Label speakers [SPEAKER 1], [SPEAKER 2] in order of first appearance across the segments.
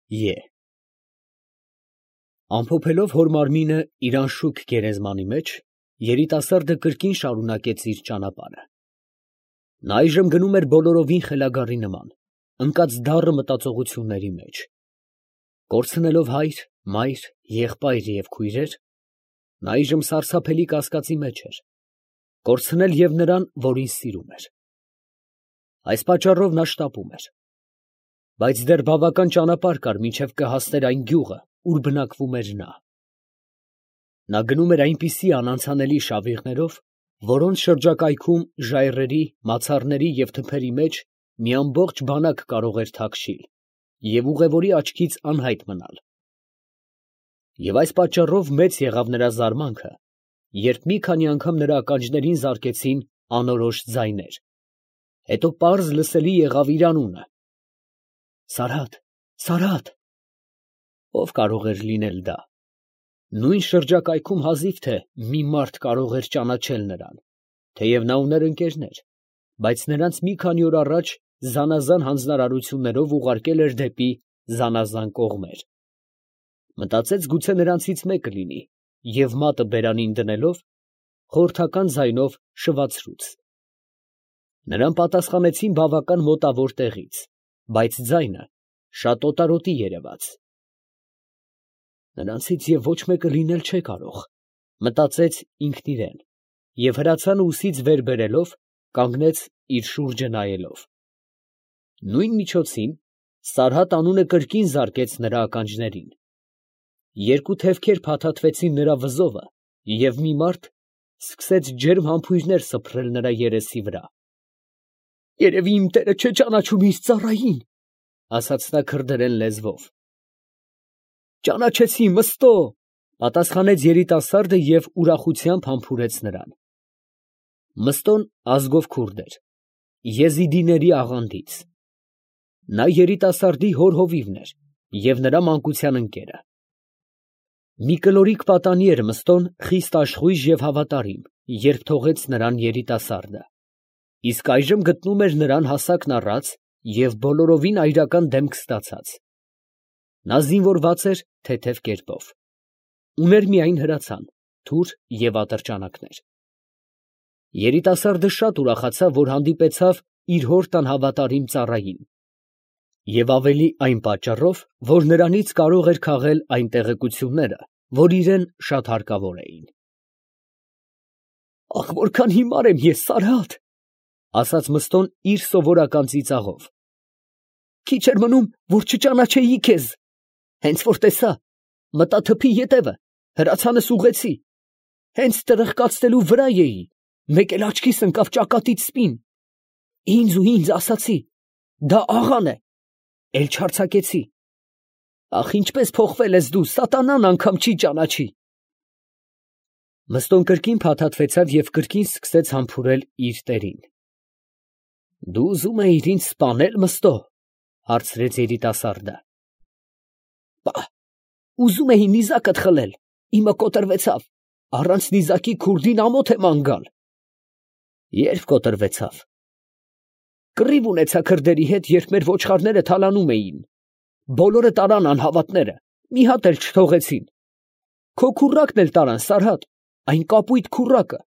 [SPEAKER 1] Է Ամփոփելով հոր մարմինը իր անշուք գերեզմանի մեջ, երիտասարդը կրկին շարունակեց իր ճանապարհը։ Նա այժմ գնում էր բոլորովին խելագարի նման, ընկած դառը մտածողությունների մեջ։ Կորցնելով հայր, մայր, եղբայր և քույրեր, նա այժմ սարսափելի կասկածի մեջ էր, կորցնել և նրան, որին սիրում էր։ Այս պատճառով նա շտապում էր, բայց դեռ բավական ճանապարհ կար, մինչև կհասներ այն գյուղը, ուր բնակվում էր նա։ Նա գնում էր այնպիսի անանցանելի շավիղներով, որոնց շրջակայքում ժայռերի, մացառների և թփերի մեջ մի ամբողջ բանակ կարող էր թաքչիլ և ուղևորի աչքից անհայտ մնալ։ Եվ այս պատճառով մեծ եղավ նրա զարմանքը, երբ մի քանի անգամ նրա ականջներին զարկեցին անորոշ ձայներ, հետո պարզ լսելի եղավ իր անունը. «Սարհատ, Սարհատ»։ Ո՞վ կարող էր լինել դա։ Նույն շրջակայքում հազիվ թե մի մարդ կարող էր ճանաչել նրան, թեև նա ուներ ընկերներ, բայց նրանց մի քանի օր առաջ զանազան հանձնարարություններով ուղարկել էր դեպի զանազան կողմեր։ Մտածեց, գուցե նրանցից մեկը լինի, և մատը բերանին դնելով, խորհրդական ձայնով շվացրուց։ Նրան պատասխանեցին բավական մոտավոր տեղից, բայց ձայնը շատ օտարոտի երևաց։ Նրանցից և ոչ մեկը լինել չէ կարող, մտածեց ինքն իրեն, և հրացանը ուսից վեր բերելով, կանգնեց իր շուրջը նայելով։ Նույն միջոցին Սարհատ անունը կրկին զարկեց նրա ականջներին։ Երկու թևքեր փաթաթվեցին նրա վզովը, և մի մարդ սկսեց ջերմ համբույրներ սփռել նրա երեսի վրա։ «Երևի իմ տերը չէ ճանաչում իր ծառային», ֊ ասաց նա քրդերեն լեզվով։ «Ճանաչեցի, Մըստո», ֊ պատասխանեց երիտասարդը և ուրախությամբ համբուրեց նրան։ Մըստոն ազգով քուրդ էր, եզիդիների աղանդից։ Նա երիտասարդի հոր հովիվն էր և նրա մանկության ընկերը։ Մի կլորիկ պատանի էր Մըստոն խիստ աշխույժ և հավատարիմ, երբ թողեց նրան երիտասարդը, իսկ այժմ գտնում էր նրան հասակն առած և բոլորովին այրական դեմք ստացած։ Նա զինվորված էր թեթև կերպով, ուներ միայն հրացան, թուր և ատրճանակներ։ Երիտասարդը շատ ուրախացավ, որ հանդիպեցավ իր հոր տան հավատարիմ ծառային, և ավելի այն պատճառով, որ նրանից կարող էր քաղել այն տեղեկությունները, որ իրան շատ հարկավոր էին։ «Ախ, որքան հիմար եմ ես, Սարհատ», ֊ ասաց Մըստոն իր սովորական ծիծաղով։ «Քիչ էր մնում, որ չճանաչեի քեզ, հենց որ տեսա, մտա թփի ետևը, հրացանս ուղղեցի, հենց տրխկացնելու վրա էի, մեկ էլ աչքիս ընկավ ճակատիդ սպին, ինձ ասացի. դա աղան է, էլ չարձակեցի։ Ախ, ինչպես փոխվել ես դու, սատանան անգամ չի ճանաչի»։ Մըստոն կրկին փաթաթվեցավ և կրկին սկսեց համբուրել իր տերին։ «Դու ուզում էիր ինձ սպանե՞լ, Մըստո», ֊ հարցրեց երիտասարդը։ «Պա, ուզում էի նիզակդ խլել, իմը կոտրվեցավ, առանց նիզակի քուրդին ամոթ եմ անգալ»։ «Ե՞րբ կոտրվեցավ»։ «Կռիվ ունեցա քրդերի հետ, երբ մեր ոչխարները թալանում էին, բոլորը տարան անհավատները, մի հատ էլ չթողեցին։ Քո քուռակն էլ տարան, Սարհատ, այն կապույտ քուռակը,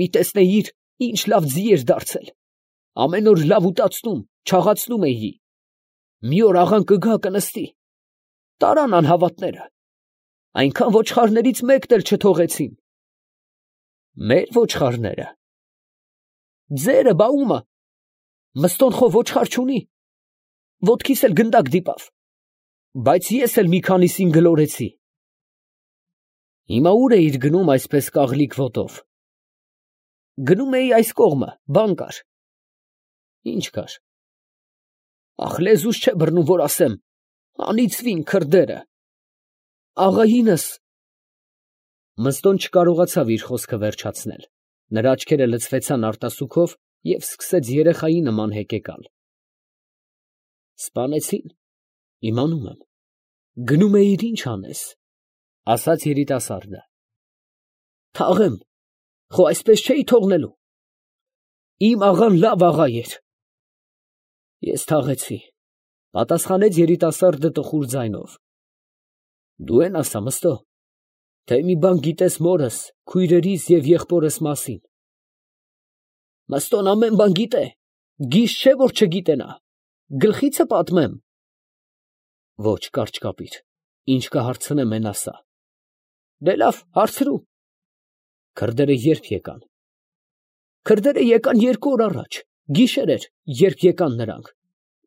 [SPEAKER 1] մի տեսնեիր, ինչ լավ ձի էր դարձել, ամեն օր լավ ուտացնում, չաղացնում էի, մի օր աղան կգա կնստի, տարան անհավատները, այնքան ոչխարներից մեկն էլ չթողեցին»։ «Մեր ոչխարները»։ «Ձերը, բա ո՞ւմը, Մըստոն խո ոչխար չունի, ոտքիս էլ գնդակ դիպավ, բայց ես էլ մի քանիսին գլորեցի»։ «Հիմա ո՞ւր էիր գնում այսպես կաղլիկ ոտով»։ «Գնում էի այս կողմը, բան կար»։ «Ի՞նչ կար»։ «Ախ, լեզուս չէ բռնում, որ ասեմ, անիծվին քրդերը, աղայինս»։ Մըստոն չկարողացավ իր խոսքը վերջացնել, նրա աչքերը լցվեցան արտասուքով և սկսեց երեխայի նման հեկեկալ։ «Սպանեցին, իմանում եմ, գնում էիր ի՞նչ անես», ֊ ասաց երիտասարդը։ «Թաղեմ, խո այսպես չէի թողնելու, իմ աղան լավ աղա էր»։ «Ես թաղեցի, Պատասխանեց երիտասարդը տխուր ձայնով։ Դու են ասա, Մըստո, թե մի բան գիտես մորս, քույրերիս և եղբորս մասին։ Մըստոն ամեն բան գիտե, գիժ չէ, որ չգիտենա, գլխիցը պատմեմ։ Ոչ, կարճ կապիր, ինչ կհարցնեմ են ասա։ Դե լավ, հարցրու։ Քրդերը երբ եկան։ Քրդերը եկան 2 օր առաջ, գիշեր էր, երբ եկան նրանք։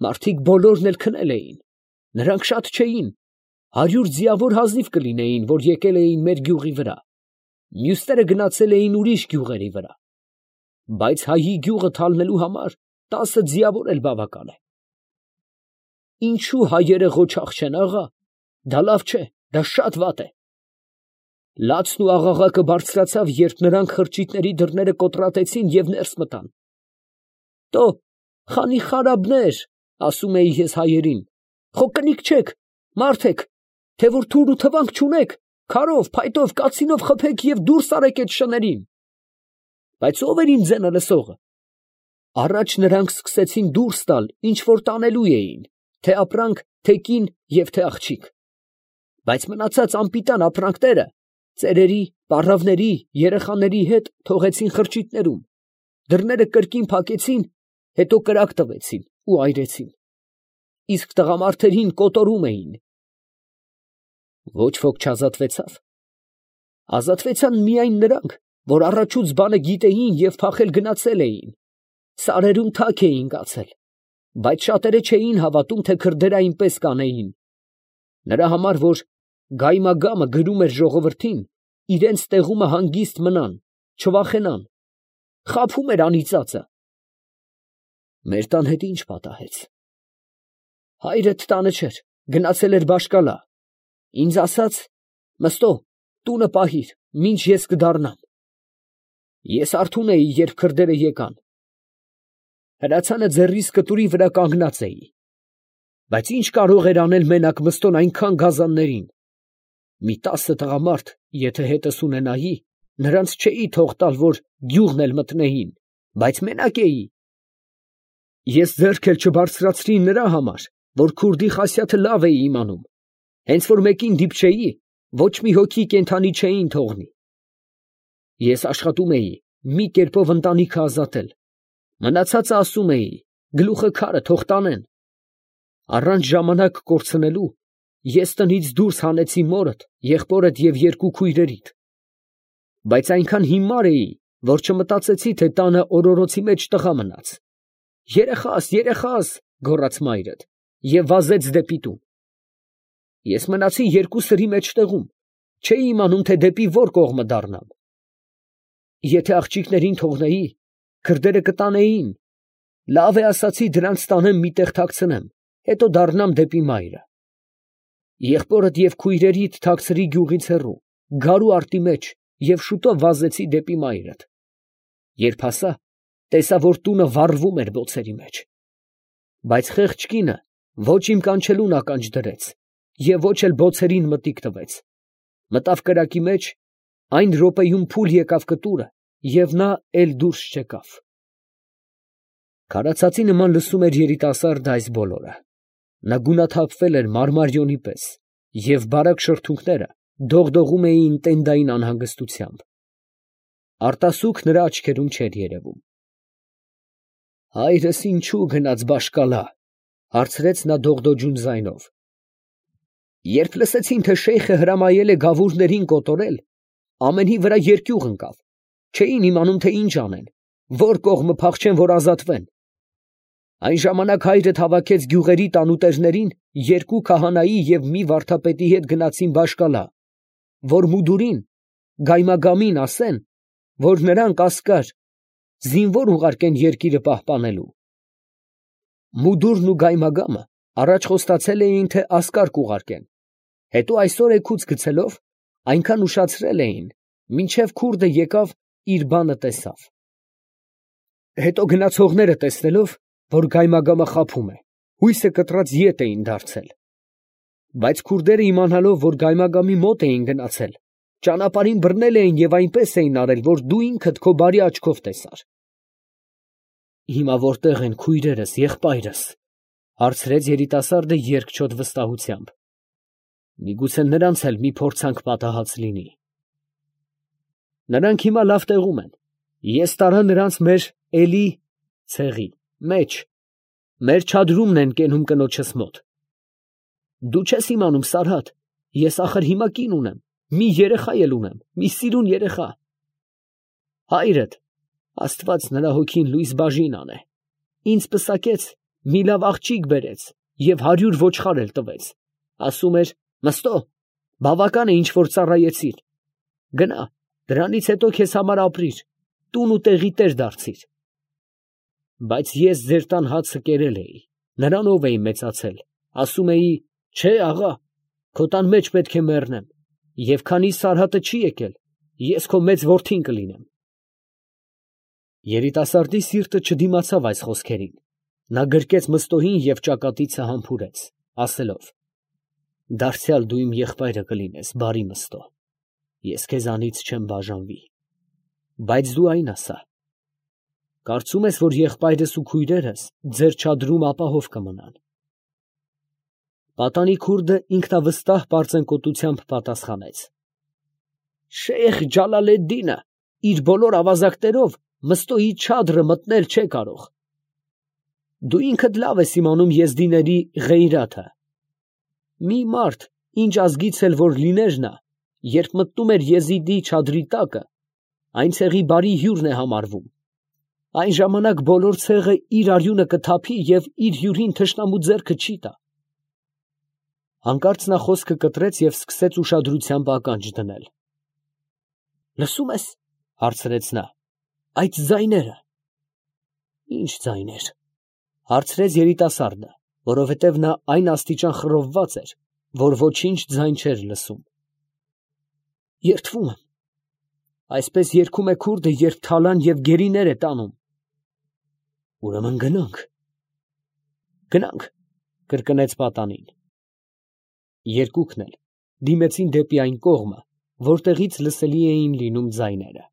[SPEAKER 1] Մարդիկ բոլորն էլ քնել էին, նրանք շատ չէին, 100 ձիավոր հազիվ կլինեին, որ եկել էին մեր գյուղի վրա, մյուսները գնացել էին ուրիշ գյուղերի վրա, բայց հայի գյուղը թալնելու համար 10 ձիավոր էլ բավական է։ Ինչու հայերը ղոչաղ չեն, աղա, դա լավ չէ, դա շատ վատ է։ Լացն ու աղաղակը բարձրացավ, երբ նրանք խրճիթների դռները կոտրատեցին և ներս մտան։ Տո, խանի խարաբներ, ասում էի ես հայերին, խո կնիկ չեք, մարդ եք, թե որ թուր ու թվանք չունեք, քարով, փայտով, կացինով խփեք և դուրս արեք այդ շներին։ Բայց ով էր իմ ձենը լսողը։ Առաջ նրանք սկսեցին դուրս տալ, ինչ որ տանելու էին, թե ապրանք, թե կին և թե աղջիկ։ Բայց մնացած անպիտան ապրանքները ծերերի, պառավների, երեխաների հետ թողեցին խրճիթներում, դռները կրկին փակեցին, հետո կրակ տվեցին ու այրեցին, իսկ տղամարդերին կոտորում էին։ Ոչ ոք չազատվեցավ։ Ազատվեցան միայն նրանք, որ առաջուց բանը գիտեին և փախել գնացել էին, սարերում թաք էին կացել, բայց շատերը չէին հավատում, թե քրդերը այնպես կանեին։ Նրա համար, որ գայմագամը գրում էր ժողովրդին, իրենց տեղումը հանգիստ մնան, չվախենան, խաբում էր անիծածը։ Մեր տան հետ ինչ պատահեց։ Հայրդ տանը չէր, գնացել էր Բաշկալա, ինձ ասաց. Մըստո, տունը պահիր, մինչ ես կդառնամ։ Ես արթուն էի, երբ քրդերը եկան։ Հրացանը ձեռիս կտուրի վրա կանգնած էի։ Բայց ինչ կարող էր անել մենակ Մըստոն այնքան գազաններին։ Մի 10 տղամարդ, եթե հետս ունենայի, նրանց չէի թող տալ, որ գյուղն էլ մտնեին, բայց մենակ էի։ Ես ձեռք էլ չբարձրացրի նրա համար, որ քուրդի խասյաթը լավ էի իմանում, հենց որ մեկին դիպչեի, ոչ մի հոգի կենդանի չէին թողնի։ Ես աշխատում էի մի կերպով ընտանիքը ազատել, մնացածը ասում էի, գլուխը քարը թող տանեն։ Առանց ժամանակ կորցնելու ես տնից դուրս հանեցի մորդ, եղբորդ և 2 քույրերիդ։ Բայց այնքան հիմար էի, որ չմտածեցի, թե տանը օրորոցի մեջ տղա մնաց։ Երեխաս, երեխաս, գոռաց մայրդ և վազեց դեպի տուն։ Ես մնացի 2 սրի մեջտեղում, չէի իմանում, թե դեպի որ կողմը դառնամ։ Եթե աղջիկներին թողնեի, քրդերը կտանեին, լավ է ասացի դրանց տանեմ մի տեղ թաքցնեմ, հետո դառնամ դեպի մայրը։ Եղբորդ և քույրերիդ թաքցրի գյուղից հեռու, գարու արտի մեջ և շուտով վազեցի դեպի մայրդ։ Երբ հասա, տեսա, որ տունը վառվում էր բոցերի մեջ։ Բայց խեղճ կինը ոչ իմ կանչելուն ականջ դրեց և ոչ էլ բոցերին մտիկ տվեց։ Մտավ կրակի մեջ, այն րոպեում փուլ եկավ կտուրը և նա էլ դուրս չեկավ։ Քարացածի նման լսում էր երիտասարդը այս բոլորը։ Նա գունաթափվել էր մարմարիոնի պես և բարակ շրթունքները դողդողում էին տենդային անհանգստությամբ։ Արտասուք նրա աչքերում չէր երևում։ Հայրս ինչու գնաց Բաշկալա, հարցրեց նա դողդոջուն ձայնով։ Երբ լսեցին, թե շեյխը հրամայել է գավուրներին կոտորել, ամենի վրա երկյուղ ընկավ, չէին իմանում, թե ինչ անեն, որ կողմը փախչեն, որ ազատվեն։ Այն ժամանակ հայրդ հավաքեց գյուղերի տանուտերներին, 2 քահանայի և մի վարդապետի հետ գնացին Բաշկալա, որ մուդուրին, գայմագամին ասեն, որ նրանք ասկար, զինվոր ուղարկեն երկիրը պահպանելու։ Մուդուրն ու գայմագամը առաջ խոստացել էին, թե ասկար կուղարկեն, հետո այսօր էգուց գցելով, այնքան ուշացրել էին, մինչև քուրդը եկավ իր բանը տեսավ։ Հետո գնացողները տեսնելով, որ գայմագամը խաբում է, հույսը կտրած ետ էին դարձել։ Բայց քուրդերը իմանալով, որ գայմագամի մոտ էին գնացել, ճանապարհին բռնել էին և այնպես էին արել, որ դու ինքդ քո բարի աչքով տեսար։ Հիմա որտեղ են քույրերս, եղբայրս, Հարցրեց երիտասարդը երկչոտ վստահությամբ։ Միգուցե նրանց էլ մի փորձանք պատահած լինի։ Նրանք հիմա լավ տեղում են։ Ես տարա նրանց մեր էլի ցեղի մեջ, մեր չադրումն են կենում կնոջս մոտ։ Դու չես իմանում, Սարհատ, ես ախր հիմա կին ունեմ, մի երեխա էլ ունեմ, մի սիրուն երեխա։ Հայրդ, Աստված նրա հոգին լույս բաժին անե, ինձ պսակեց, մի լավ աղջիկ բերեց և 100 ոչխար էլ տվեց, ասում էր. Մըստո, բավական է ինչ որ ծառայեցիր, գնա, դրանից հետո քեզ համար ապրիր, տուն ու տեղի տեր դարձիր։ Բայց ես ձեր տան հացը կերել էի, նրանով էի մեծացել, ասում էի. չէ, աղա, քո տան մեջ պետք է մեռնեմ, և քանի Սարհատը չի եկել, ես քո մեծ որդին կլինեմ։ Երիտասարդի սիրտը չդիմացավ այս խոսքերին, նա գրկեց Մըստոյին և ճակատիցը համբուրեց, ասելով. դարձյալ դու իմ եղբայրը կլինես, բարի Մըստո, ես քեզանից չեմ բաժանվի, բայց դու այն ասա. կարծում ես, որ եղբայրս ու քույրերս ձեր չադրում ապահով կմնան։ Պատանի քուրդը ինքնավստահ պարծենկոտությամբ պատասխանեց. Շեյխ Ջալալեդդինը իր բոլոր ավազակներով Մըստոյի չադրը մտնել չէ կարող։ Դու ինքդ լավ ես իմանում եզդիների ղեյրաթը։ Մի մարդ, ինչ ազգից էլ որ լիներ նա, երբ մտնում էր Եզիդի չադրի տակը, այն ցեղի բարի հյուրն է համարվում։ Այն ժամանակ բոլոր ցեղը իր արյունը կթափի և իր հյուրին թշնամու ձեռքը չի տա։ Հանկարծ նա խոսքը կտրեց և սկսեց ուշադրությամբ ականջ դնել։ Լսում ես, հարցրեց նա, այդ ձայները։ Ինչ ձայներ, հարցրեց երիտասարդը, որովհետև նա այն աստիճան խռովված էր, որ ոչինչ ձայն չէր լսում։ Երդվում եմ, այսպես երգում է քուրդը, երբ թալան և գերիներ է տանում։ Ուրեմն գնանք։ Գնանք, կրկնեց պատանին։ Երկուքն էլ դիմեցին դեպի այն կողմը, որտեղից լսելի էին լինում ձայները։